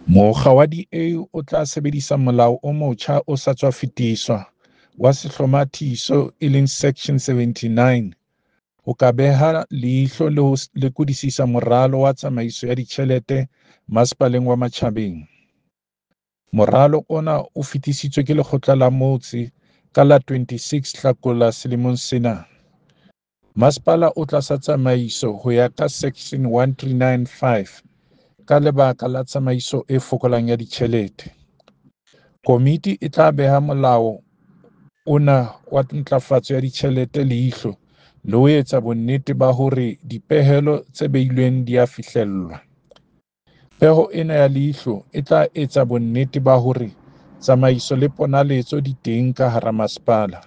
Mokga wa DA o tla sebedisa molao o motjha o sa tswa fetiswa wa sehlomathiso e leng Section 79 ho ka beha leihlo le ho lekodisisa moralo wa tsamaiso ya ditjhelete masepaleng wa Matjhabeng. Moralo ona o fetisitswe ke lekgotla la motse ka la 26 Hlakola selemong sena. Masepala o tlasa tsamaiso ho ya ka Section 139(5) ka lebaka la tsamaiso e fokolang ya ditjhelete. Komiti e tla beha molao ona wa ntlafatso ya ditjhelete leihlo le ho etsa bonnete ba hore dipehelo tse beilweng di a fihlellwa. Peho ena ya leihlo e tla etsa bonnete ba hore tsamaiso le ponaletso di teng ka hara masepala.